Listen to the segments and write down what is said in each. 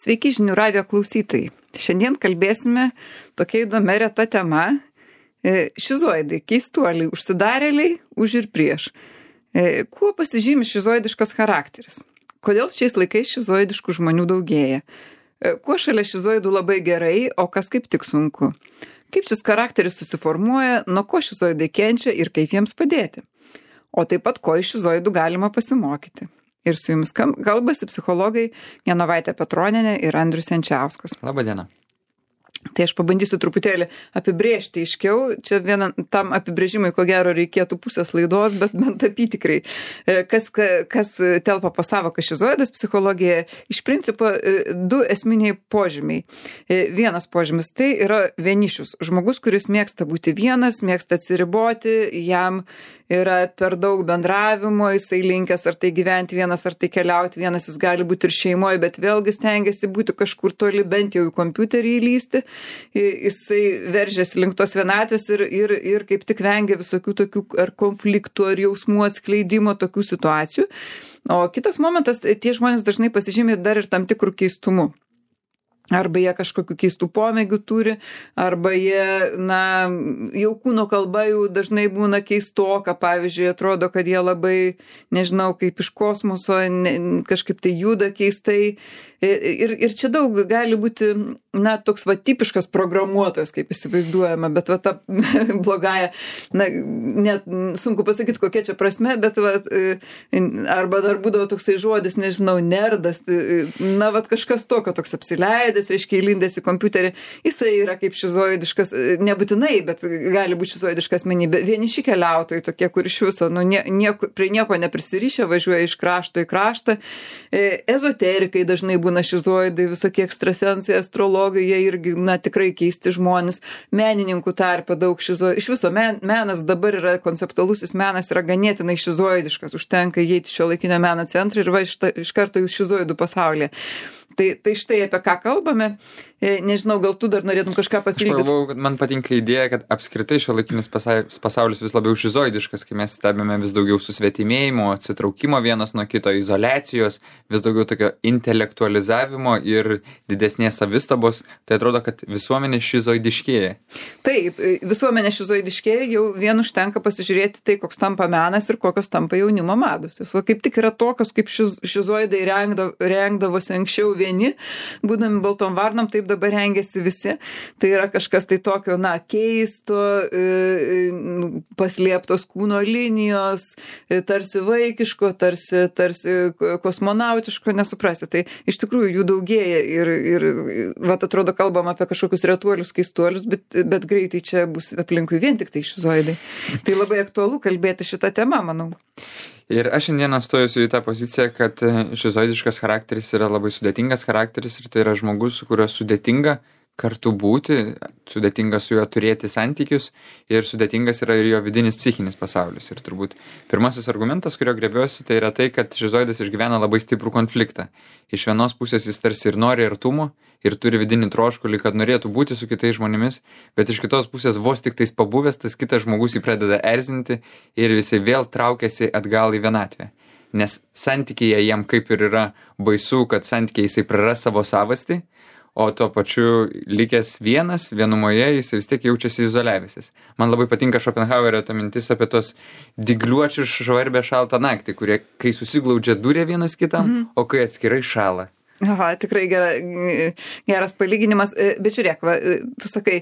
Sveiki žinių radijo klausytojai. Šiandien kalbėsime tokia įdomia reta tema. Šizoidai, keistuoliai, užsidarėliai, už ir prieš. Kuo pasižymi šizoidiškas charakteris? Kodėl šiais laikais šizoidiškų žmonių daugėja? Kuo šalia šizoidų labai gerai, o kas kaip tik sunku? Kaip šis charakteris susiformuoja, nuo ko šizoidai kenčia ir kaip jiems padėti? O taip pat, ko iš šizoidų galima pasimokyti? Ir su jumis kalbasi psichologai Genovaitė Petronienė ir Andrius Jančiauskas. Labą dieną. Tai aš pabandysiu truputėlį apibrėžti aiškiau. Čia tam apibrėžimui, ko gero, reikėtų pusės laidos, bet bent apytikrai. Kas telpa po sąvoką šizoidas psichologijoje, iš principo du esminiai požymiai. Vienas požymis tai yra vienišius. Žmogus, kuris mėgsta būti vienas, mėgsta atsiriboti, jam yra per daug bendravimo, jisai linkęs ar tai gyventi vienas, ar tai keliauti vienas, jis gali būti ir šeimoje, bet vėlgi stengiasi būti kažkur toli, bent jau į kompiuterį įlysti. Jisai veržiasi link tos vienatvės ir kaip tik vengia visokių tokių ar konfliktų, ar jausmų atskleidimo, tokių situacijų. O kitas momentas, tie žmonės dažnai pasižymi dar ir tam tikrų keistumų. Arba jie kažkokių keistų pomėgių turi, arba jie, jau kūno kalba jau dažnai būna keistoka, pavyzdžiui, atrodo, kad jie labai, nežinau, kaip iš kosmoso, kažkaip tai juda keistai. Ir čia daug gali būti, toks tipiškas programuotojas, kaip įsivaizduojama, bet ta blogąja, net sunku pasakyti, kokia čia prasme, bet arba dar būdavo toksai žodis, nežinau, nerdas, kažkas tokio, toks apsileidęs, reiškia įlindęs į kompiuterį, jisai yra kaip šizoidiškas, nebūtinai, bet gali būti šizoidiška asmenybė. Vieniši keliautojai tokie, kur iš viso, prie nieko neprisirišę, važiuoja iš krašto į kraštą. Ezoterikai dažnai būna šizoidai, visokie ekstrasensai, astrologai, jie irgi, tikrai keisti žmonės. Menininkų tarpe daug šizoidų. Iš viso menas dabar yra, konceptualusis menas yra ganėtinai šizoidiškas. Užtenka įeiti šiuolaikinio meno centrą ir iš karto jūs šizoidų pasaulyje. Tai štai apie ką kalbame. Nežinau, gal tu dar norėtum kažką papildyti. Aš galvau, kad man patinka idėja, kad apskritai šiuolaikinis pasaulis vis labiau šizoidiškas, kai mes stebime vis daugiau susvetimėjimo, atsitraukimo vienas nuo kito, izoliacijos, vis daugiau tokio intelektualizavimo ir didesnės savistabos. Tai atrodo, kad visuomenė šizoidiškėja. Taip, visuomenė šizoidiškėja, jau vien užtenka pasižiūrėti tai, koks tampa menas ir kokios tampa jaunimo mados. O kaip tik yra tokios, kaip šizoidai rengdavosi anksčiau vieni, būdami baltom varnom, taip dabar rengiasi visi. Tai yra kažkas tai tokio, keisto, paslėptos kūno linijos, tarsi vaikiško, tarsi kosmonautiško, nesuprasi. Tai iš tikrųjų jų daugėja ir atrodo, kalbam apie kažkokius retuolius, keistuolius, bet greitai čia bus aplinkui vien tik tai šizoidai. Tai labai aktualu kalbėti šitą temą, manau. Ir aš šiandieną stojusiu į tą poziciją, kad šizoidiškas charakteris yra labai sudėtingas charakteris ir tai yra žmogus, su kuriuo sudėtinga kartu būti, sudėtinga su juo turėti santykius ir sudėtingas yra ir jo vidinis psichinis pasaulis. Ir turbūt pirmasis argumentas, kurio griebiuosi, tai yra tai, kad šizoidas išgyvena labai stiprų konfliktą. Iš vienos pusės jis tarsi ir nori artumo ir turi vidinį troškulį, kad norėtų būti su kitais žmonėmis, bet iš kitos pusės vos tik tais pabuvęs, tas kitas žmogus jį pradeda erzinti ir jisai vėl traukiasi atgal į vienatvę. Nes santykyje jam kaip ir yra baisu, kad santykiai jisai praras savo savastį, o tuo pačiu likęs vienumoje jis vis tiek jaučiasi izoliavęsis. Man labai patinka Šopenhauerio ta mintis apie tos dygliuočius žvarbę šaltą naktį, kurie kai susiglaudžia dūrė vienas kitam, o kai atskirai šąla. Aha, tikrai geras palyginimas, bet žiūrėk, tu sakai,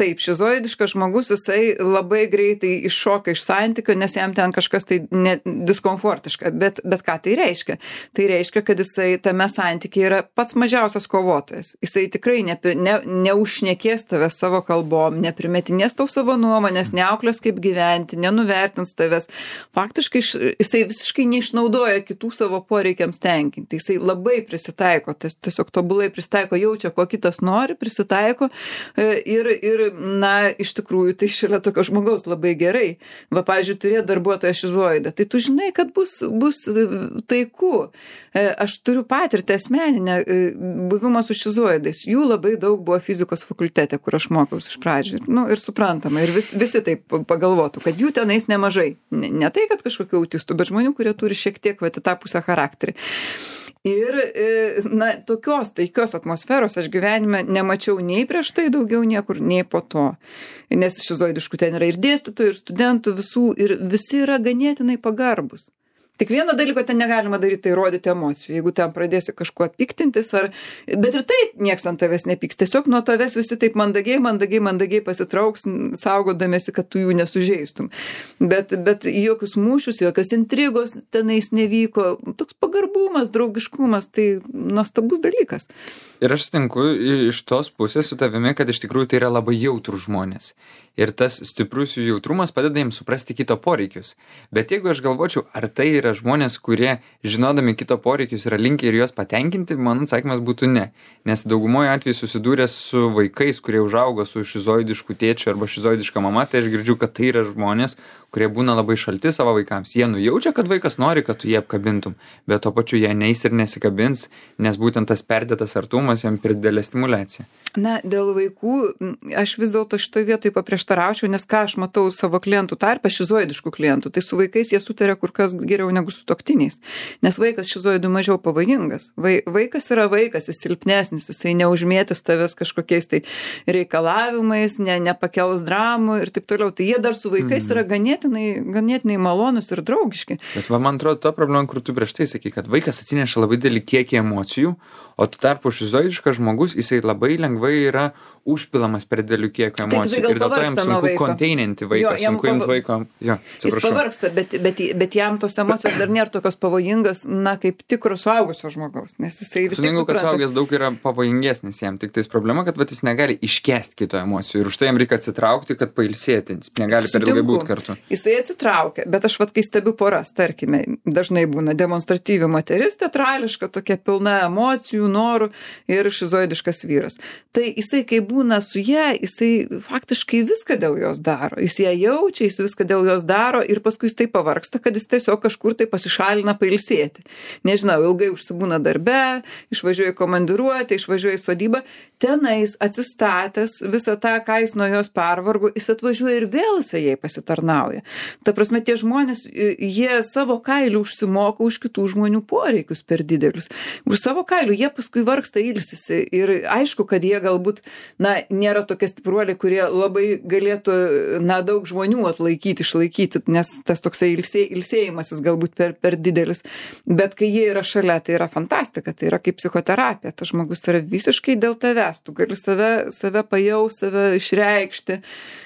taip, šizoidiškas žmogus, jisai labai greitai iššoka iš santykio, nes jam ten kažkas tai diskomfortiška, bet ką tai reiškia? Tai reiškia, kad jisai tame santykiai yra pats mažiausias kovotojas. Jisai tikrai neužšnekės tavęs savo kalbom, neprimetinės tau savo nuomonės, neauklės kaip gyventi, nenuvertins tavęs. Faktiškai jisai visiškai neišnaudoja kitų savo poreikiams tenkinti. Jisai labai prisitaiko, tiesiog tobulai prisitaiko, jaučia, ko kitas nori, prisitaiko ir iš tikrųjų tai šalia tokio žmogaus labai gerai. Pavyzdžiui, turėti darbuotoją šizoidą, tai tu žinai, kad bus taiku. Aš turiu patirtį asmeninę buvimą su šizoidais. Jų labai daug buvo fizikos fakultete, kur aš mokiausi iš pradžių. Ir suprantama, ir visi taip pagalvotų, kad jų tenais nemažai. Ne tai, kad kažkokių autistų, bet žmonių, kurie turi šiek tiek į tą pusę charakterį. Ir, tokios taikios atmosferos aš gyvenime nemačiau nei prieš tai daugiau niekur, nei po to. Nes šizoidiškų ten yra ir dėstytojų, ir studentų visų, ir visi yra ganėtinai pagarbus. Tik vieno dalyko ten negalima daryti, tai rodyti emocijų. Jeigu ten pradėsi kažkuo piktintis, bet ir taip nieks ant tavęs nepyks. Tiesiog nuo tavęs visi taip mandagiai pasitrauks, saugodamėsi, kad tu jų nesužeistum. Bet jokius mūšius, jokios intrigos tenais nevyko. Toks pagarbumas, draugiškumas, tai nuostabus dalykas. Ir aš sutinku iš tos pusės su tavimi, kad iš tikrųjų tai yra labai jautrūs žmonės. Ir tas stiprus jų jautrumas padeda jiems suprasti kito poreikius. Bet jeigu aš galvočiau, ar tai yra žmonės, kurie žinodami kito poreikius yra linkę ir juos patenkinti, mano atsakymas būtų ne. Nes daugumoje atveju susidūręs su vaikais, kurie užaugo su šizoidišku tėčiu arba šizoidiška mama, tai aš girdžiu, kad tai yra žmonės, kurie būna labai šalti savo vaikams. Jie nujaučia, kad vaikas nori, kad tu jį apkabintum, bet tuo pačiu jie neis ir nesikabins, nes būtent tas perdėtas artumas jam per didelė stimulacija. Na, dėl vaikų aš vis dėlto šitoje vietoje paprieštaraučiau, nes ką aš matau savo klientų tarpe, šizoidiškų klientų, tai su vaikais jie sutarė kur kas geriau negu su sutuoktiniais. Nes vaikas šizoidų mažiau pavojingas. Vaikas yra vaikas, jis silpnesnis, jisai neužmėtis tavęs kažkokiais tai reikalavimais, nepakels dramų ir taip toliau. Tai jie dar su vaikais yra ganėtinai malonus ir draugiški. Bet man atrodo, ta problema, kur tu prieš tai sakai, kad vaikas atsineša labai didelį kiekį emocijų, o tu tarpu šizoidiškas žmogus, jisai labai lengvai yra užpilamas per didelių kiekį emocijų. Ir dėl to jam sunku konteininti vaiką, sunku imti vaiko. Jis pavargsta, bet jam tos emocijos dar nėra tokios pavojingas, kaip tikro suaugusio žmogaus. Nes jisai vis tiek supranta. Kad suaugęs daug yra pavojingesnis jam. Tik tais problema, kad jis negali iškęsti kito emocijų. Ir už tai jam reikia atsitraukti, kad pailsėti. Jis negali per ilgai būti kartu. Jisai atsitraukia. Bet aš kai stebiu poras, tarkime, dažnai būna demonstratyvi moteris, teatrališka, tokia pilna emocijų, norų ir šizoidiškas vyras. Tai jisai, kai būna su ja, jisai faktiškai viską dėl jos daro. Jis ją jaučia, jis viską dėl jos daro ir paskui jis taip pavargsta, kad jis tiesiog kažkur tai pasišalina pailsėti. Nežinau, ilgai užsibūna darbe, išvažiuoja į komandiruotę, išvažiuoja į sodybą, tenais atsistatęs visą tą, ką jis nuo jos pervargo, jis atvažiuoja ir vėl jisai jai pasitarnauja. Ta prasme, tie žmonės, jie savo kailių užsimoka už kitų žmonių poreikius per didelius. Už savo kailių jie paskui vargsta, ilsisi ir aišku, kad jie galbūt, nėra tokie stipruoliai, kurie labai galėtų, daug žmonių atlaikyti, išlaikyti, nes tas toksai ilsėjimasis galbūt per didelis. Bet kai jie yra šalia, tai yra fantastika, tai yra kaip psichoterapija. Tas žmogus yra visiškai dėl tavęs, tu gali save pajaust, save išreikšti,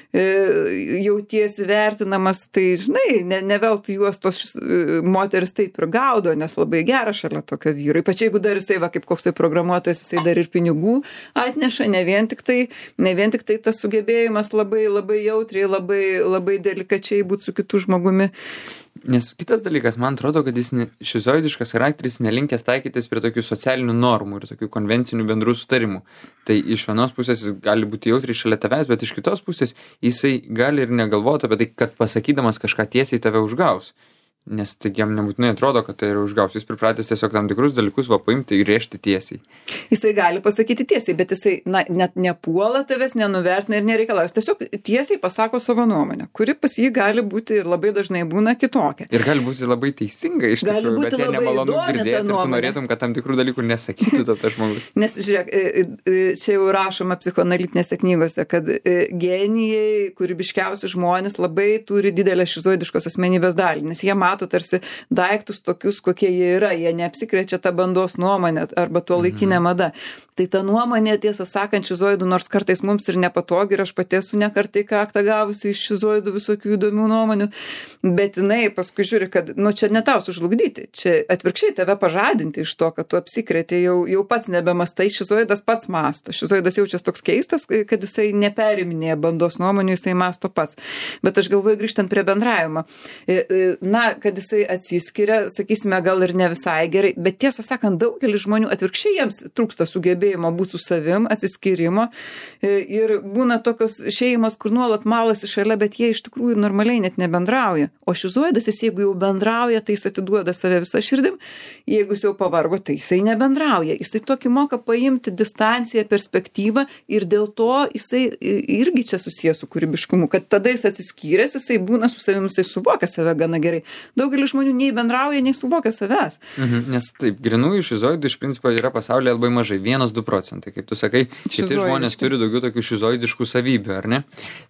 jautiesi vertinamas, tai žinai, ne veltui juos tos moteris taip ir gaudo, nes labai gera šalia tokio vyro. Ypač jeigu dar jisai, kaip koksai programuotojas, jisai dar ir pinigų atneša, ne vien tik tai tas sugebėjimas labai, labai jautriai, labai, labai delikačiai būti su kitu žmogumi. Nes kitas dalykas, man atrodo, kad jis šizoidiškas charakteris nelinkęs taikytis prie tokių socialinių normų ir tokių konvencinių bendrų sutarimų. Tai iš vienos pusės jis gali būti jautriai šalia tavęs, bet iš kitos pusės jisai gali ir negalvoti apie tai, kad pasakydamas kažką tiesiai tave užgaus. Nes tai jam nebūtinai atrodo, kad tai yra užgaus. Jis pripratęs tiesiog tam tikrus dalykus paimti ir rėžti tiesiai. Jisai gali pasakyti tiesiai, bet jisai net nepuola tavęs, nenuvertina ir nereikalauja. Jis tiesiog tiesiai pasako savo nuomonę, kuri pas jį gali būti ir labai dažnai būna kitokia. Ir gali būti labai teisinga iš tikrųjų, bet jie nemalonu girdėti ir tu norėtum, kad tam tikrų dalykų nesakytų tas žmogus. Nes žiūrėk, čia jau rašoma psichoanalitinėse knygose, kad genijai, kūrybiškiausi žmonės labai turi didelę šizoidiškos asmenybės dalį, nes jie mato tarsi daiktus tokius, kokie jie yra, jie neapsikrečia tą bandos nuomonę arba tuo laikinę madą. Tai ta nuomonė, tiesą sakant, šizoidų, nors kartais mums ir nepatogi, ir aš pati esu nekartai kaktą gavusi iš šizoidų visokių įdomių nuomonių, bet jinai paskui žiūri, kad, čia ne tau sužlugdyti, čia atvirkščiai tave pažadinti iš to, kad tu apsikreti, jau pats nebemastai, šizoidas pats masto. Šizoidas jaučias toks keistas, kad jisai neperiminėja bandos nuomonių, jisai masto pats. Bet aš galvoju, grįžtant prie bendravimo, kad jisai atsiskiria, sakysime, gal ir ne visai gerai, bet tiesą sakant, daugelis žmonių atvirkščiai jiems trūksta sugebėjimo būti su savim, atsiskyrimo ir būna tokios šeimos, kur nuolat malasi šalia, bet jie iš tikrųjų normaliai net nebendrauja. O šizoidas, jeigu jau bendrauja, tai jis atiduoda save visą širdim, jeigu jis jau pavargo, tai jisai nebendrauja. Jisai tokį moka paimti distanciją, perspektyvą ir dėl to jisai irgi čia susijęs su kūrybiškumu, kad tada jis atsiskyręs, jisai būna su savim, jisai suvokia save gana gerai. daugelis žmonių nei bendrauja, nei suvokia savęs. Nes taip, grinųjų šizoidų iš principo yra pasaulyje labai mažai, 1-2 procentai. Kaip tu sakai, kiti žmonės turi daugiau tokių šizoidiškų savybių, ar ne?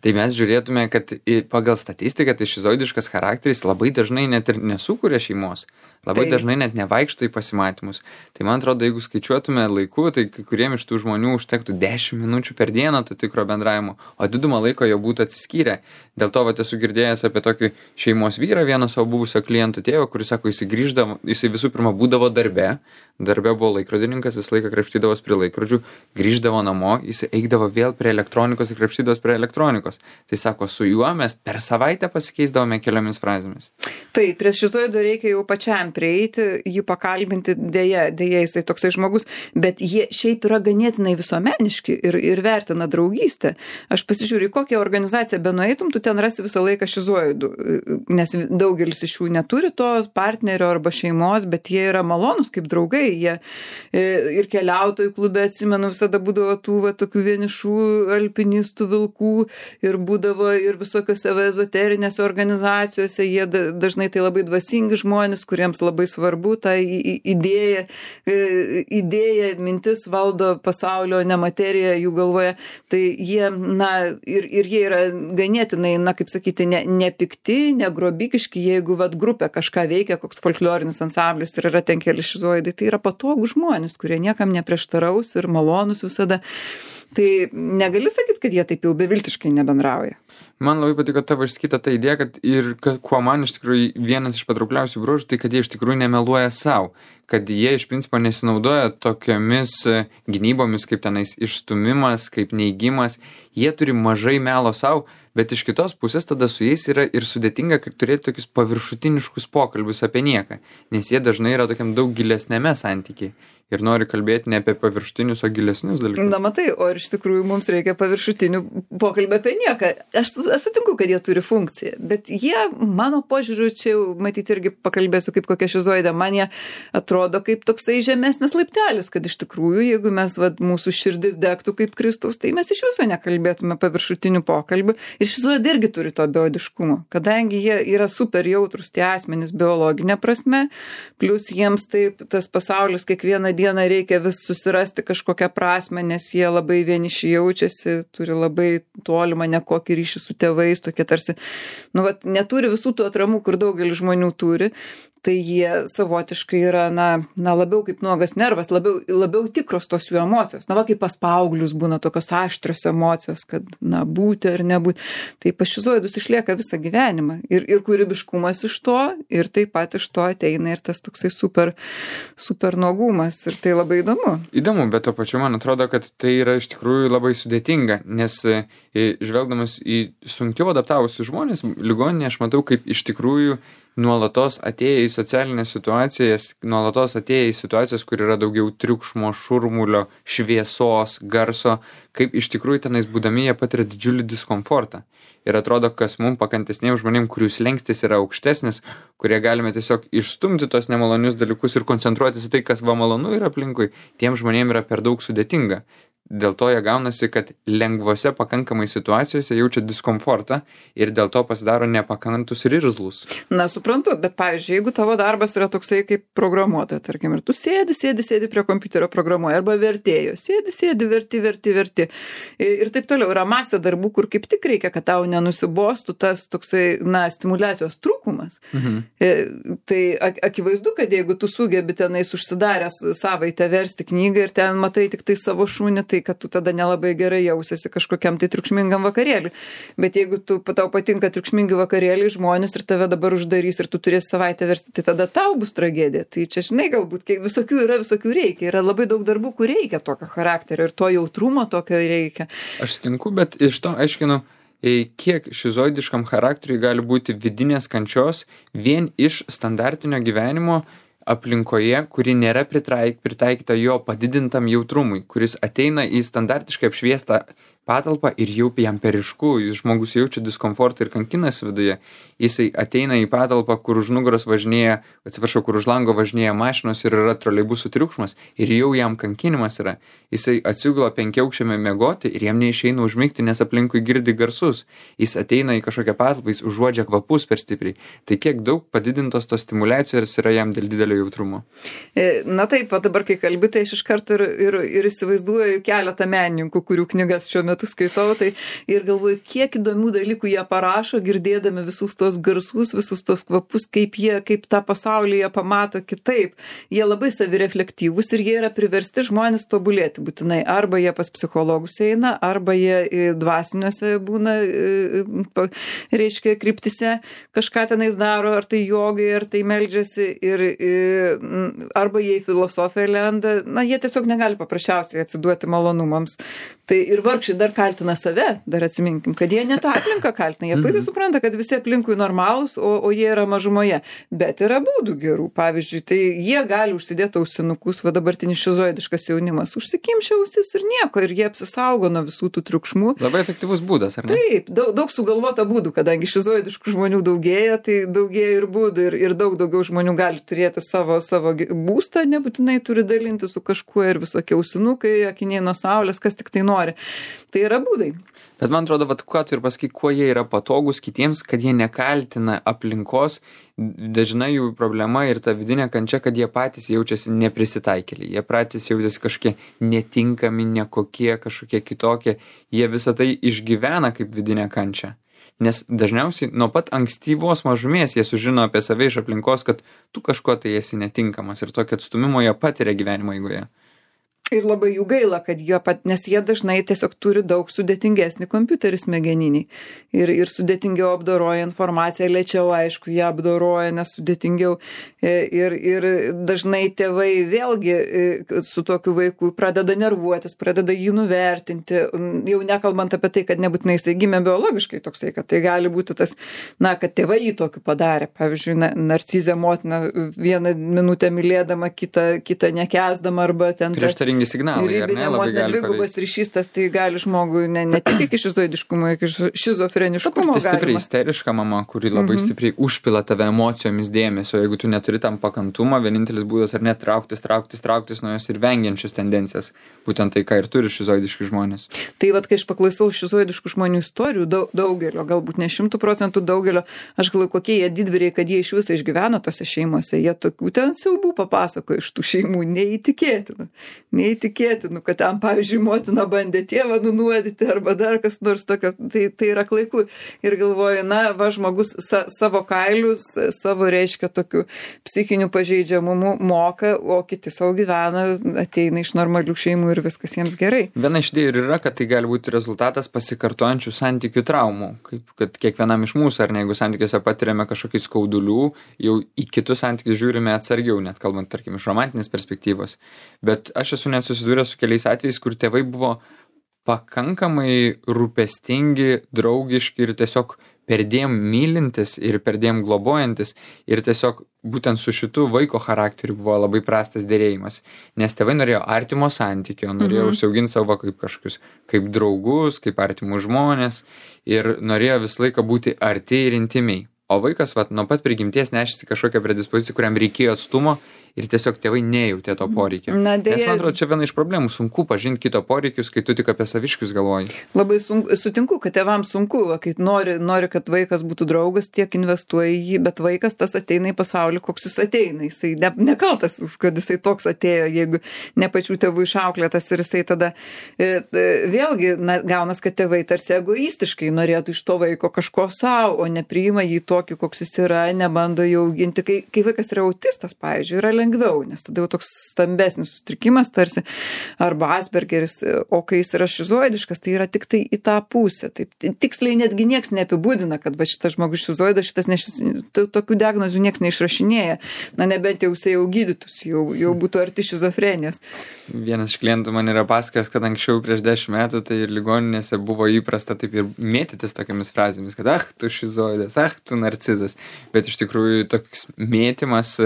Tai mes žiūrėtume, kad pagal statistiką tai šizoidiškas charakteris labai dažnai net ir nesukuria šeimos. Labai dažnai net nevaikšto į pasimatymus. Tai man atrodo, jeigu skaičiuotume laiku, tai kai kuriem iš tų žmonių užtektų 10 minučių per dieną to tikro bendravimo, o didumą laiko jau būtų atsiskyrę. Dėl to esu girdėjęs apie tokį šeimos vyrą, vieną savo buvusio kliento tėvą, kuris sako, jisai visų pirma būdavo darbe buvo laikrodininkas, visą laiką krapštydavos prie laikrodžių, grįždavo namo, jisai eidavo vėl prie elektronikos ir krapštydavos prie elektronikos. Tai sako, su juo mes per savaitę pasikeisdavome keliomis frazėmis. Tai prie šizoido reikia jau pačiam prieiti, jį pakalbinti, dėja jisai toksai žmogus, bet jie šiaip yra ganėtinai visuomeniški ir vertina draugystę. Aš pasižiūriu, kokią organizaciją benueitum, tu ten rasi visą laiką šizoidų, nes daugelis iš jų neturi to partnerio arba šeimos, bet jie yra malonus kaip draugai, jie ir keliautojų klube, atsimenu, visada būdavo tų tokių vienišų alpinistų vilkų ir būdavo ir visokiose ezoterinėse organizacijose, jie dažnai tai labai dvasingi žmonės, kuriems labai svarbu ta idėja, mintis valdo pasaulio, ne materija jų galvoje. Tai jie, ir jie yra ganėtinai, kaip sakyti, ne pikti, ne grobikiški, jeigu grupė kažką veikia, koks folklorinis ansamblis ir yra ten keli šizoidai, tai yra patogų žmonės, kurie niekam neprieštaraus ir malonus visada. Tai negali sakyti, kad jie taip jau beviltiškai nebendrauja. Man labai patiko tavo išsakyta ta idėja, kad ir kuo man iš tikrųjų vienas iš patraukliausių bruožų, tai kad jie iš tikrųjų nemeluoja savo, kad jie iš principo nesinaudoja tokiomis gynybomis kaip tenais išstumimas, kaip neigimas, jie turi mažai melo savo, bet iš kitos pusės tada su jais yra ir sudėtinga turėti tokius paviršutiniškus pokalbius apie nieką, nes jie dažnai yra tokiam daug gilesnėme santykiai. Ir nori kalbėti ne apie paviršutinius, o gilesnius dalykus. Na matai, o ir iš tikrųjų mums reikia paviršutinių pokalbį apie nieką. Aš sutinku, kad jie turi funkciją, bet jie, mano požiūriu, čia jau matyti irgi pakalbėsiu kaip kokia šizoidė, man jie atrodo kaip toksai žemesnis laiptelis, kad iš tikrųjų, jeigu mes, mūsų širdis degtų kaip Kristaus, tai mes iš viso nekalbėtume paviršutinių pokalbių. Ir šizoidė irgi turi to beodiškumo, kadangi jie yra super jautrus tie asmenys biologinė prasme, plus jiems taip tas pasaulis kiekvieną dieną reikia vis susirasti kažkokią prasmę, nes jie labai vieniši jaučiasi, turi labai tolimą nekokį ryšį su tėvais, tokie tarsi, neturi visų tų atramų, kur daugelis žmonių turi. Tai jie savotiškai yra, labiau kaip nuogas nervas, labiau tikros tos jų emocijos. Kaip pas paauglius būna tokios aštrios emocijos, kad, būti ar nebūti. Tai pas šizoidus išlieka visą gyvenimą. Ir kūrybiškumas iš to, ir taip pat iš to ateina ir tas toksai super nuogumas. Ir tai labai įdomu. Įdomu, bet to pačiu man atrodo, kad tai yra iš tikrųjų labai sudėtinga, nes žvelgdamas į sunkiau adaptavusius žmonės, ligoninėje aš matau, kaip iš tikrųjų nuolatos atėję į socialinės situacijas, nuolatos atėję į situacijas, kur yra daugiau triukšmo, šurmulio, šviesos, garso, kaip iš tikrųjų tenais būdami jie patiria didžiulį diskomfortą. Ir atrodo, kas mums pakantesniems žmonėms, kurių slengstis yra aukštesnis, kurie galime tiesiog išstumti tos nemalonius dalykus ir koncentruotis į tai, kas malonu yra aplinkui, tiem žmonėms yra per daug sudėtinga. Dėl to jie gaunasi, kad lengvose pakankamai situacijose jaučia diskomfortą ir dėl to pasidaro nepakantus ir irzlus. Suprantu, bet pavyzdžiui, jeigu tavo darbas yra toksai kaip programuotoja, tarkim, ir tu sėdi prie kompiuterio programuoja, arba vertėjo, sėdi, verti. Ir taip toliau, yra masė darbų, kur kaip tik reikia, kad tau nenusibostų tas toksai, stimuliacijos trūkumas. Tai akivaizdu, kad jeigu tu sugebi tenais užsidaręs savaitę versti knygą ir ten matai tik tai savo šunį, tai kad tu tada nelabai gerai jausiesi kažkokiam tai triukšmingam vakarėliui. Bet jeigu tau patinka triukšmingi vakarėliai, žmonės ir tave dabar uždarys ir tu turėsi savaitę versti, tai tada tau bus tragedija. Tai čia, žinai, galbūt visokių reikia. Yra labai daug darbų, kur reikia tokio charakterio ir to jautrumo tokio reikia. Aš sutinku, bet iš to aiškinu, kiek šizoidiškam charakteriui gali būti vidinės kančios vien iš standartinio gyvenimo aplinkoje, kuri nėra pritaikyta jo padidintam jautrumui, kuris ateina į standartiškai apšviestą patalpą ir jau jam per ryšku, žmogus jaučia diskomfortą ir kankinasi viduje, jisai ateina į patalpą, kur už nugaros važinėja, kur už lango važinėja mašinos ir yra troleibusų triukšmas ir jau jam kankinimas yra. Jisai atsigula 5-aukščiame miegoti ir jam neišeina užmigti, nes aplinkui girdi garsus. Jis ateina į kažkokią patalpą, jis užuodžia kvapus per stipriai. Tai kiek daug padidintos tos stimulacijos yra jam dėl didelio jautrumo. Na taip, o dabar kai kalbi, tai aš iš karto ir įsivaizduoju keletą menininkų, kurių knygas šiuo metu skaitau, tai ir galvoju, kiek įdomių dalykų jie parašo, girdėdami visus tos garsus, visus tos kvapus, kaip tą pasaulį jie pamato kitaip. Jie labai savireflektyvūs ir jie yra priversti žmonės tobulėti būtinai. Arba jie pas psichologus eina, arba jie dvasiniuose būna, reiškia, kryptise kažką tenais daro, ar tai jogai, ar tai meldžiasi, arba jie į filosofiją lenda. Na, jie tiesiog negali paprasčiausiai atsiduoti malonumams. Tai ir vargšai dar kaltina save, dar atsiminkim, kad jie ne tą aplinką kaltina. Jie puikiai supranta, kad visi aplinkui normalūs, o jie yra mažumoje. Bet yra būdų gerų. Pavyzdžiui, tai jie gali užsidėti ausinukus, va dabartinis šizoidiškas jaunimas, užsikimšia ausis ir nieko, ir jie apsisaugo nuo visų tų triukšmų. Labai efektyvus būdas, ar ne? Taip, daug sugalvota būdų, kadangi šizoidiškų žmonių daugėja, tai daugėja ir būdų, ir daug daugiau žmonių gali turėti savo būstą, nebūtinai turi dalinti su kažkuo ir visokie ausinukai, akiniai nuo saulės, kas tik tai nori. Tai yra būdai. Bet man atrodo, ką tu ir pasakai, kuo jie yra patogus kitiems, kad jie nekaltina aplinkos, dažnai jų problema ir ta vidinė kančia, kad jie patys jaučiasi neprisitaikėliai, jie patys jaučiasi kažkokie netinkami, nekokie, kažkokie kitokie, jie visą tai išgyvena kaip vidinę kančią. Nes dažniausiai nuo pat ankstyvos mažumės jie sužino apie save iš aplinkos, kad tu kažko tai esi netinkamas ir tokio atstumimo jie patiria gyvenimo eigoje. Ir labai jų gaila, kad nes jie dažnai tiesiog turi daug sudėtingesnį kompiuterį smegeninį. Ir sudėtingiau apdoroja informaciją, lėčiau, aišku, jie apdoroja, nes sudėtingiau. Ir dažnai tėvai vėlgi su tokiu vaiku pradeda nervuotis, pradeda jį nuvertinti. Jau nekalbant apie tai, kad nebūtinai jisai gimė biologiškai toksai, kad tai gali būti tas, kad tėvai jį tokį padarė. Pavyzdžiui, narcizė motina vieną minutę mylėdama, kitą nekęsdama arba ten... signalai, ar ne, labai gali paveikti. Dvigubas ryšys, tas tai gali žmogui ne tik iki šizoidiškumo, iki šizofreniškumo tai stipri galima. Isteriška mama, kuri labai stipriai užpila tave emocijomis dėmesio, jeigu tu neturi tam pakantumą, vienintelis būdas ar net trauktis nuo jos ir vengiančius tendencijas. Būtent tai, ką ir turi šizoidiški žmonės. Tai vat, kai aš paklausau šizoidiškų žmonių istorijų, daugelio, galbūt ne 100% daugelio, aš galvoju, kokie jie didvyriai, kad jie iš viso išgyveno tose šeimose. Jie tokių ten siaubų papasakojo iš tų šeimų, neįtikėtinų, kad ten, pavyzdžiui, motina bandė tėvą nunuodyti arba dar kas nors tokio, tai yra klaiku. Ir galvoju, žmogus savo kailius, savo reiškia tokių psichinių pažeidžiamumų moka, o kiti savo gyvena, ateina iš normalių šeimų ir viskas jiems gerai. Viena iš idėjų yra, kad tai gali būti rezultatas pasikartojančių santykių traumų, kaip kad kiekvienam iš mūsų, ar ne, jeigu santykiuose patiriame kažkokį skaudulių, jau į kitus santykius žiūrime atsargiau, net kalbant, tarkim, iš romantinės perspektyvos. Bet aš esu net susidūręs su keliais atvejais, kur tėvai buvo pakankamai rūpestingi, draugiški ir tiesiog perdėm mylintis ir perdėm globojantis ir tiesiog būtent su šitu vaiko charakteriu buvo labai prastas dėrėjimas. Nes tėvai norėjo artimo santykio, norėjo užsiauginti savo kaip kažkokius, kaip draugus, kaip artimus žmonės ir norėjo visą laiką būti arti ir intimiai. O vaikas nuo pat prigimties nešėsi kažkokią predispoziciją, kuriam reikėjo atstumo ir tiesiog tėvai nejautė to poreikio. Nes man atrodo, čia viena iš problemų, sunku pažinti kito poreikius, kai tu tik apie saviškius galvoji. Labai sutinku, kad tėvams sunku, kai nori, kad vaikas būtų draugas, tiek investuoja į jį, bet vaikas tas ateina į pasaulį, koks jis ateina. Jisai nekaltas, kad jisai toks atėjo, jeigu ne pačių tėvų išauklėtas ir jisai tada vėlgi gaunas, kad tėvai tarsi egoistiškai norėtų iš to vaiko kažko savo, o nepriima jį tokį, koks jis yra, nebando jau auginti. Kai vaikas yra autistas, pavyzdžiui, yra lengviau, nes tada jau toks stambesnis sutrikimas tarsi, arba Aspergeris, o kai jis yra šizoidiškas, tai yra tik tai į tą pusę. Taip, tiksliai netgi nieks neapibūdina, kad šitas žmogus šizoidas, tokių diagnozių nieks neišrašinėja. Nebent jau jisai jau gydytųsi, jau būtų arti šizofrenijos. Vienas iš klientų man yra pasakojęs, kad anksčiau prieš 10 metų tai ir ligoninėse buvo įprasta taip ir mėtytis tokiamis frazėmis, kad tu šizoidas, tu narcizas. Bet iš tikrųjų toks mėtymas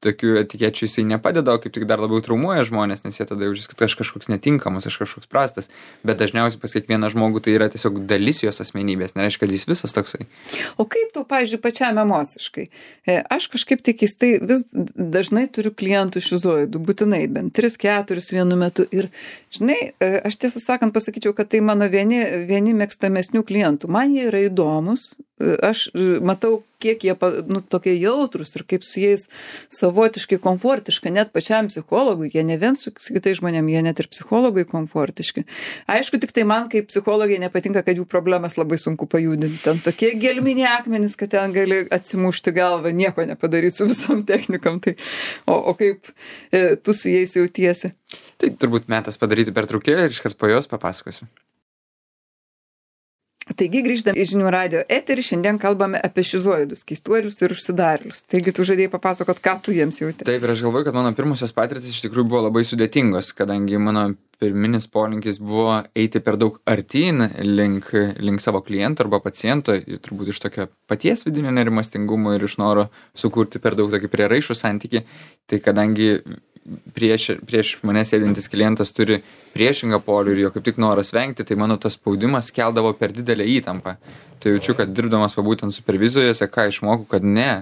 tokių etikečių jisai nepadeda, o kaip tik dar labiau traumuoja žmonės, nes jie tada jaučiasi, kad aš kažkoks netinkamas, aš kažkoks prastas. Bet dažniausiai pas kiekvieną žmogų tai yra tiesiog dalis jos asmenybės, nereiškia, kad jis visas toksai. O kaip tau, pavyzdžiui, pačiam emociškai? Aš kažkaip tai keistai vis dažnai turiu klientų šizoidų, būtinai, bent 3-4 vienu metu. Ir, žinai, aš tiesą sakant pasakyčiau, kad tai mano vieni mėgstamesnių klientų. Man jie yra įdomus, aš matau, kiek jie tokie jautrus ir kaip su jais savotiškai komfortiška, net pačiam psichologui, jie ne vien su kitais žmonėm, jie net ir psichologui komfortiški. Aišku, tik tai man kaip psichologai nepatinka, kad jų problemas labai sunku pajudinti. Ten tokie gelminiai akmenys, kad ten gali atsimušti galvą, nieko nepadaryti su visom technikam. Tai, o kaip tu su jais jautiesi? Tai turbūt metas padaryti pertraukėlę ir iškart po jos papasakosiu. Taigi grįždami į Žinių radijo eterį, šiandien kalbame apie šizoidus, keistuolius ir užsidarėlius. Taigi tu žadėjai papasakot, ką tu jiems jauti. Taip, ir aš galvoju, kad mano pirmusios patirtis iš tikrųjų buvo labai sudėtingos, kadangi mano pirminis polinkis buvo eiti per daug artyn link savo kliento arba paciento, turbūt iš tokio paties vidinio nerimastingumo ir iš noro sukurti per daug tokį prieraišų santykį. Tai kadangi prieš mane sėdintis klientas turi priešingą polių ir jo kaip tik noras vengti, tai mano tas spaudimas keldavo per didelę įtampą. Tai jaučiu, kad dirbdamas būtent supervizijose, ką išmokau,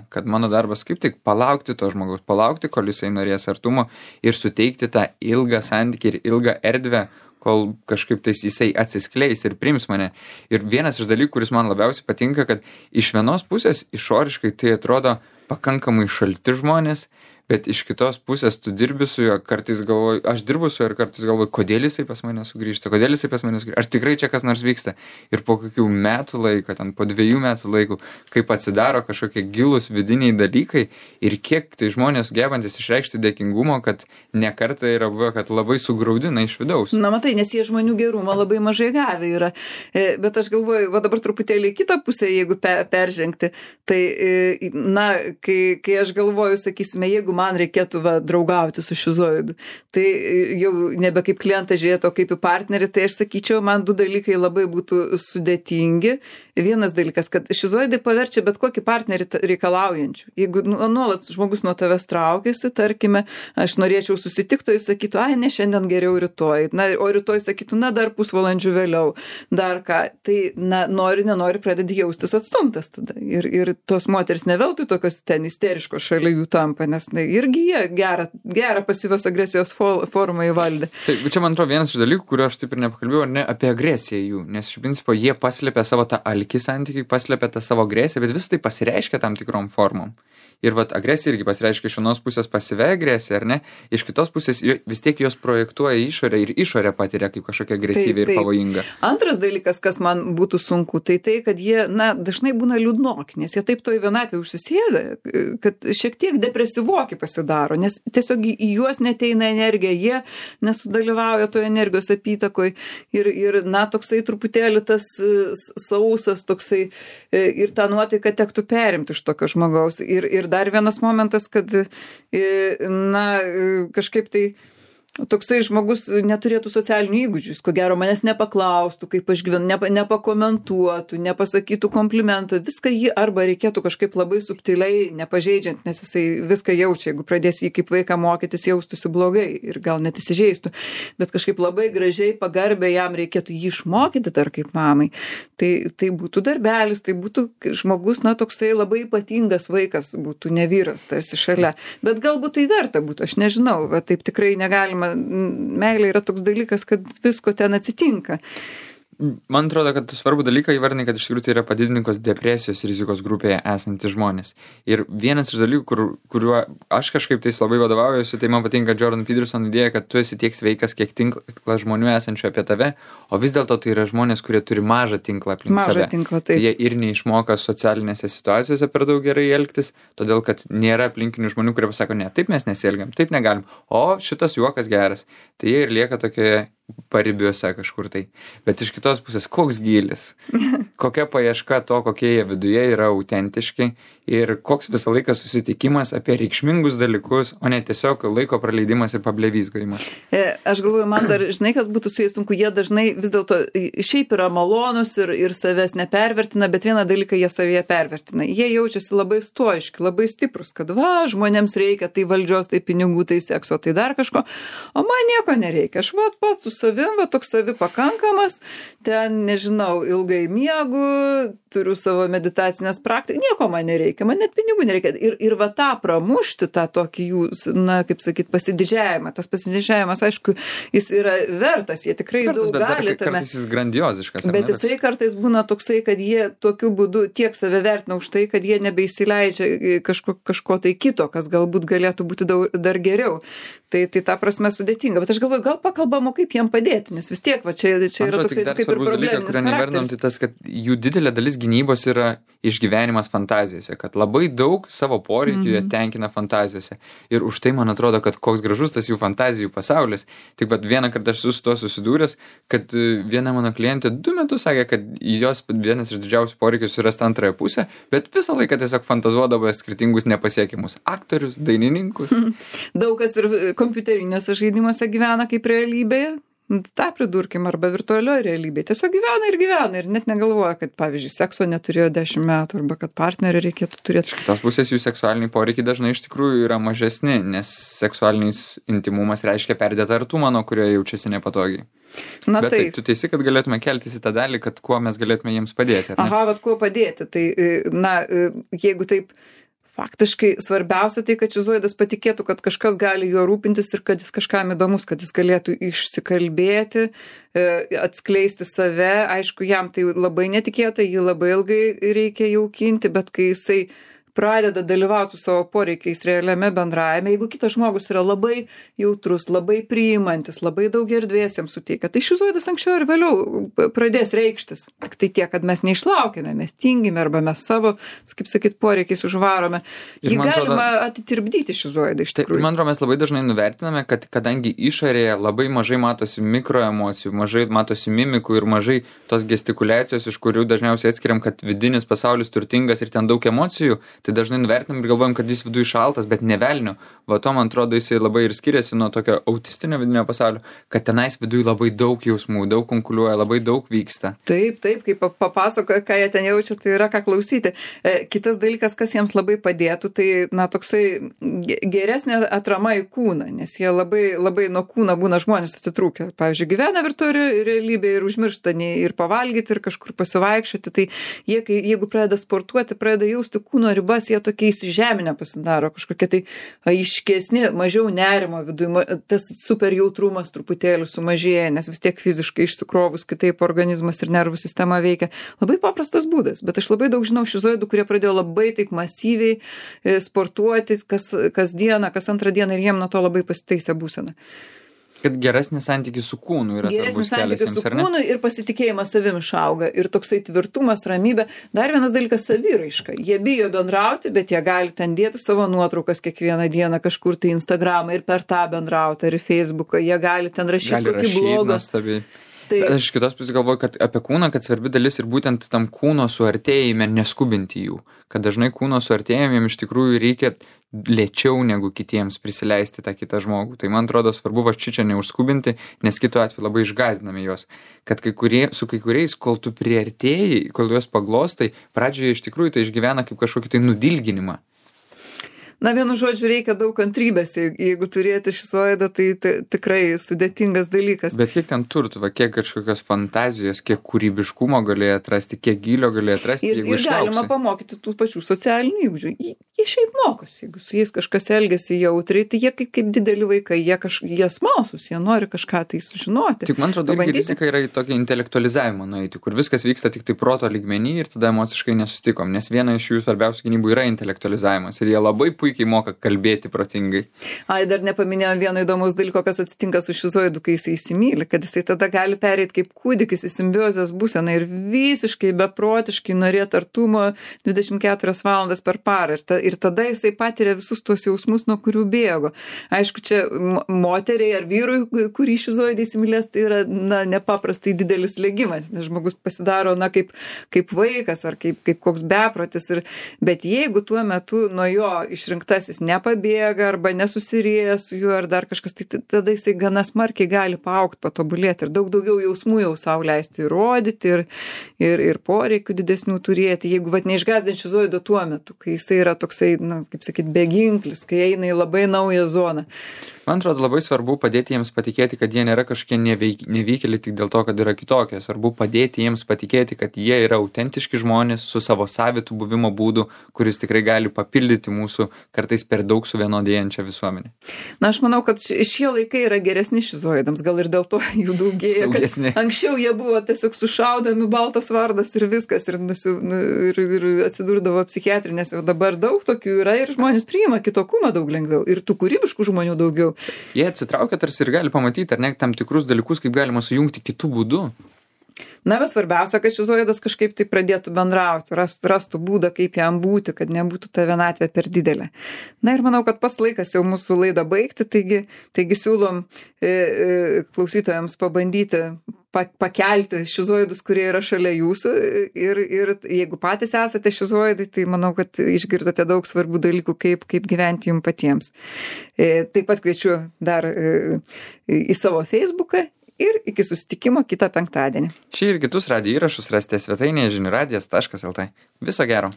kad mano darbas kaip tik palaukti to žmogaus, palaukti, kol jisai norės artumo ir suteikti tą ilgą santykį ir ilgą erdvę, kol kažkaip tais jisai atsiskleis ir priims mane. Ir vienas iš dalykų, kuris man labiausiai patinka, kad iš vienos pusės išoriškai tai atrodo pakankamai šalti žmonės, bet iš kitos pusės tu dirbi su juo, kartais galvoju, aš dirbu su juo ir kartais galvoju, kodėl jisai pas mane sugrįžta, ar tikrai čia kas nors vyksta. Ir po kokių metų laiko, ten po 2 metų laiko, kaip atsidaro kažkokie gilūs vidiniai dalykai ir kiek tai žmonės gebantis išreikšti dėkingumo, kad ne kartą yra buvę, kad labai sugraudina iš vidaus. Na matai, nes jie žmonių gerumo labai mažai gavę yra. Bet aš galvoju, va dabar truputėlį į kitą pusę, jeigu peržengti, tai, na, kai aš galvoju, sakysime, jeigu man reikėtų draugauti su šizoidu, tai jau nebe kaip klientą žiūrėti, o kaip į partnerį, tai aš sakyčiau, man 2 dalykai labai būtų sudėtingi. Vienas dalykas, kad šizoidai paverčia bet kokį partnerį reikalaujančių. Jeigu nuolat žmogus nuo tavęs traukiasi, tarkime, aš norėčiau susitikti, jis sakytų, ai, ne šiandien geriau rytoj, o rytoj sakytų, na, dar pusvalandžių vėliau, dar ką, tai, na, nenori pradedi jaustis atstumtas tada. Ir tos moteris neveltui tokios ten isteriškos šalia jų tampa, nes irgi jie gerą pasyvios agresijos formą įvaldė. Taip, čia man atrodo vienas iš dalykų, kurio aš taip ir nepakalbėjau, ne apie agresiją jų, nes iš principo jie paslėpia savo tą alkį santykiai, paslėpia tą savo agresiją, bet vis tai pasireiškia tam tikrom formom. Ir agresija irgi pasireiškia iš vienos pusės pasyvia agresija, ar ne? Iš kitos pusės vis tiek jos projektuoja išorę ir išorę patiria kaip kažkokia agresyvi ir pavojinga. Antras dalykas, kas man būtų sunku, tai kad jie, na, dažnai būna liūdnoki, nes jie taip toj vienatvėje užsisėda, kad šiek tiek depresyvoki pasidaro, nes tiesiog į juos neteina energija, jie nesudalyvauja toje energijos apytakoj ir na, toksai truputėlį tas sausas toksai ir tą nuotaiką tektų perimti iš tokio žmogaus. Ir dar vienas momentas, kad, na, kažkaip tai toksai žmogus neturėtų socialinių įgūdžių, ko gero manęs nepaklaustų, kaip aš gyvenu, nepakomentuotų, nepasakytų komplimento, viską jį arba reikėtų kažkaip labai subtiliai, nepažeidžiant, nes jisai viską jaučia, jeigu pradės jį kaip vaiką mokytis, jaustųsi blogai ir gal net įsižeistų, bet kažkaip labai gražiai, pagarbiai jam reikėtų jį išmokyti dar kaip mamai. Tai būtų darbelis, tai būtų žmogus, na, toksai labai ypatingas vaikas, būtų ne vyras tarsi šalia, bet galbūt tai verta būtų, aš nežinau, va, taip tikrai negalima. Meilė yra toks dalykas, kad visko ten atsitinka. Man atrodo, kad svarbu dalyką įvardinti, kad iš tikrųjų tai yra padidininkos depresijos rizikos grupėje esantys žmonės. Ir vienas iš dalykų, kuriuo aš kažkaip tais labai vadovaujuosi, tai man patinka Jordan Peterson idėja, kad tu esi tiek sveikas, kiek tinklas žmonių esančių apie tave, o vis dėlto tai yra žmonės, kurie turi mažą tinklą aplink save. Mažą tinklą, taip. Jie ir neišmoka socialinėse situacijose per daug gerai elgtis, todėl kad nėra aplinkinių žmonių, kurie pasako, ne, taip mes nesielgiam, taip negalim, o šitas juokas geras. Tai jie ir lieka tokioje paribiuose kažkur tai. Bet iš kitos pusės, koks gylis, kokia paieška to, kokie jie viduje yra autentiški ir koks visą laiką susitikimas apie reikšmingus dalykus, o ne tiesiog laiko praleidimas ir pablevizgavimas. Aš galvoju, man dar, žinai, kas būtų su jais sunku, jie dažnai vis dėlto šiaip yra malonus ir savęs nepervertina, bet vieną dalyką jie savyje pervertina. Jie jaučiasi labai stoiški, labai stiprus, kad žmonėms reikia tai valdžios, tai pinigų, tai sekso, tai dar kažko, o man nieko nereikia. Aš pats su savim, toks savi pakankamas, ten, nežinau, ilgai miegu, turiu savo meditacinės praktikas, nieko man nereikia, man net pinigų nereikia. Ir tą pramušti, tą tokį jų, kaip sakyt, pasididžiavimą. Tas pasididžiavimas, aišku, jis yra vertas, jie tikrai daug gali tame. Kartais jis grandioziškas. Bet jisai kartais būna toksai, kad jie tokiu būdu tiek save vertina už tai, kad jie nebeįsileidžia kažko tai kito, kas galbūt galėtų būti dar geriau. Tai ta prasme sudėtinga. Bet aš galvoju, gal pakalbam, kaip jiem padėti, nes vis tiek, čia yra toksai kaip ir probleminis charakteris. Tai tas, kad jų didelė dalis gynybos yra išgyvenimas fantazijose, kad labai daug savo poreikių jie tenkina fantazijose. Ir už tai man atrodo, kad koks gražus tas jų fantazijų pasaulis. Tik vieną kartą aš su to susidūręs, kad viena mano klientė 2 metus sakė, kad jos vienas iš didžiausių poreikių surasti antrąją pusę, bet visą laiką tiesiog fantazuodavo skirtingus nepasiekimus. Aktorius, dainininkus. Daug kas ir kompiuteriniuose žaidimuose gyvena kaip realybėje. tą pridurkim, arba virtualioje realybėje. Tiesiog gyvena ir net negalvoja, kad, pavyzdžiui, sekso neturėjo 10 metų, arba kad partnerį reikėtų turėti. Iš kitos pusės jų seksualiniai poreikiai dažnai iš tikrųjų yra mažesni, nes seksualinis intimumas reiškia perdėtą artumą, nuo kurio jaučiasi nepatogiai. Bet taip, tu teisi, kad galėtume keltis į tą dalį, kad kuo mes galėtume jiems padėti. Aha, bet kuo padėti. Tai, jeigu taip, faktiškai svarbiausia tai, kad šizoidas patikėtų, kad kažkas gali juo rūpintis ir kad jis kažkam įdomus, kad jis galėtų išsikalbėti, atskleisti save. Aišku, jam tai labai netikėta, jį labai ilgai reikia jaukinti, bet kai jisai pradeda dalyvauti su savo poreikiais realiame bendravime, jeigu kitas žmogus yra labai jautrus, labai priimantis, labai daug erdvės jam suteikia, tai šizoidas anksčiau ir vėliau pradės reikštis. Tik tai tiek, kad mes neišlaukime, mes tingime arba mes savo, kaip sakyt, poreikiais užvarome. Jį galima atitirpdyti šizoidą iš tikrųjų. Man atrodo, mes labai dažnai nuvertiname, kad kadangi išorėje labai mažai matosi mikroemocijų, mažai matosi mimikų ir mažai tos gestikuliacijos, iš kurių dažniausiai atskiriam, kad vidinis pasaulis turtingas ir ten daug emocijų, tai dažnai nuvertinam ir galvojam, kad jis viduje šaltas, bet ne velnio. Va to, man atrodo, jisai labai ir skiriasi nuo tokio autistinio vidinio pasaulio, kad tenais viduje labai daug jausmų, daug konkuliuoja, labai daug vyksta. Taip, kai papasakoja, ką jie ten jaučia, tai yra ką klausyti. Kitas dalykas, kas jiems labai padėtų, tai, toksai geresnė atrama į kūną, nes jie labai nuo kūno būna žmonės atitrūkę. Pavyzdžiui, gyvena virtualioje realybėje ir užmiršta ir pavalgyti, ir kažkur pasivaikščioti, tai jie, jeigu pradeda sportuoti, pradeda jausti kūno ribas, jie tokie įsižeminę pasidaro, kažkokie tai aiškesni, mažiau nerimo viduje, tas super jautrumas truputėlį sumažėja, nes vis tiek fiziškai išsikrovus kitaip organizmas ir nervų sistema veikia. Labai paprastas būdas, bet aš labai daug žinau šizoidų, kurie pradėjo labai taip masyviai sportuoti kas dieną, kas antrą dieną ir jiem nuo to labai pasitaisė būsena. Kad geresnis santykis su kūnu yra svarbus kelias jiems, ar ne? Su kūnu ir pasitikėjimas savim išauga, ir toksai tvirtumas, ramybė. Dar vienas dalykas — saviraiška. Jie bijo bendrauti, bet jie gali ten dėti savo nuotraukas kiekvieną dieną kažkur tai Instagramą ir per tą bendrauti, ar į Facebooką. Jie gali ten rašyti kokį blogą. Aš iš kitos pusės galvoju, kad apie kūną, kad svarbi dalis ir būtent tam kūno suartėjime neskubinti jų. Kad dažnai kūno suartėjimėm iš tikrųjų reikia lėčiau negu kitiems prisileisti tą kitą žmogų. Tai man atrodo svarbu va čia neužskubinti, nes kitu atveju labai išgąsdiname juos. Kad su kai kuriais, kol tu priartėjai, kol juos paglostai, pradžioje iš tikrųjų tai išgyvena kaip kažkokį tai nudilginimą. Vienu žodžiu, reikia daug kantrybės, jeigu turėti šizoidą, tai tikrai sudėtingas dalykas. Bet kiek ten turtų, kiek kažkokios fantazijos, kiek kūrybiškumo galėjo atrasti, kiek gylio galėjo atrasti, jeigu išlauksi. Ir galima pamokyti tų pačių socialinių įgūdžių. Jie šiaip mokosi, jeigu su jais kažkas elgiasi jautriai, tai jie kaip dideli vaikai, jie smalsūs, jie nori kažką tai sužinoti. Tik man atrodo, rizika yra į tokį intelektualizavimą nueiti, kur viskas vyksta tik tai proto lygmenį ir tada emociškai nesustikom, nes viena iš jų svarbiausių gynybų yra intelektualizavimas ir jie labai puikiai puikiai moka kalbėti protingai. Dar nepaminėjau vieno įdomaus dalyko, kas atsitinka su šizoidu, kai jisai įsimyli, kad jisai tada gali pereiti kaip kūdikis į simbiozės būseną ir visiškai beprotiškai norėti artumo 24 valandas per parą. Ir tada jisai patiria visus tuos jausmus, nuo kurių bėgo. Aišku, čia moteriai ar vyrui, kurį šizoidai įsimylės, tai yra nepaprastai didelis slėgimas, nes žmogus pasidaro kaip vaikas ar kaip koks beprotis. Bet jeigu tuo metu nuo jo išrinktasis nepabėga arba nesusirėja su juo ar dar kažkas, tai tada jisai gana smarkiai gali paaugti, patobulėti ir daug daugiau jausmų jau sau leisti įrodyti ir poreikių didesnių turėti. Jeigu neišgąsdint šizoido tuo metu, kai jisai yra toksai, kaip sakyt, beginklis, kai eina į labai naują zoną. Man atrodo, labai svarbu padėti jiems patikėti, kad jie nėra kažkokie nevykėliai tik dėl to, kad yra kitokie. Svarbu padėti jiems patikėti, kad jie yra autentiški žmonės su savo savitų buvimo būdu, kuris tikrai gali papildyti mūsų kartais per daug suvienodėjančią visuomenę. Aš manau, kad šie laikai yra geresni šizoidams, gal ir dėl to jų daugėja. Anksčiau jie buvo tiesiog sušaudomi, baltas vardas ir viskas, ir atsidurdavo psichiatrinėse. Dabar daug tokių yra ir žmonės priima kitokumą daug lengviau ir tų kūrybiškų žmonių daugiau. Jie atsitraukia tarsi ir gali pamatyti, ar ne, tam tikrus dalykus, kaip galima sujungti kitų būdų. Bet svarbiausia, kad šizoidas kažkaip tai pradėtų bendrauti, rastų būdą, kaip jam būti, kad nebūtų ta vienatvė per didelė. Ir manau, kad pats laikas jau mūsų laidą baigti, taigi siūlom klausytojams pabandyti pakelti šizoidus, kurie yra šalia jūsų ir jeigu patys esate šizoidai, tai manau, kad išgirdote daug svarbių dalykų, kaip gyventi jums patiems. Taip pat kviečiu dar į savo Facebooką ir iki susitikimo kitą penktadienį. Šį ir kitus radijo įrašus rasite svetainėje žinių radijas.lt. Viso gero.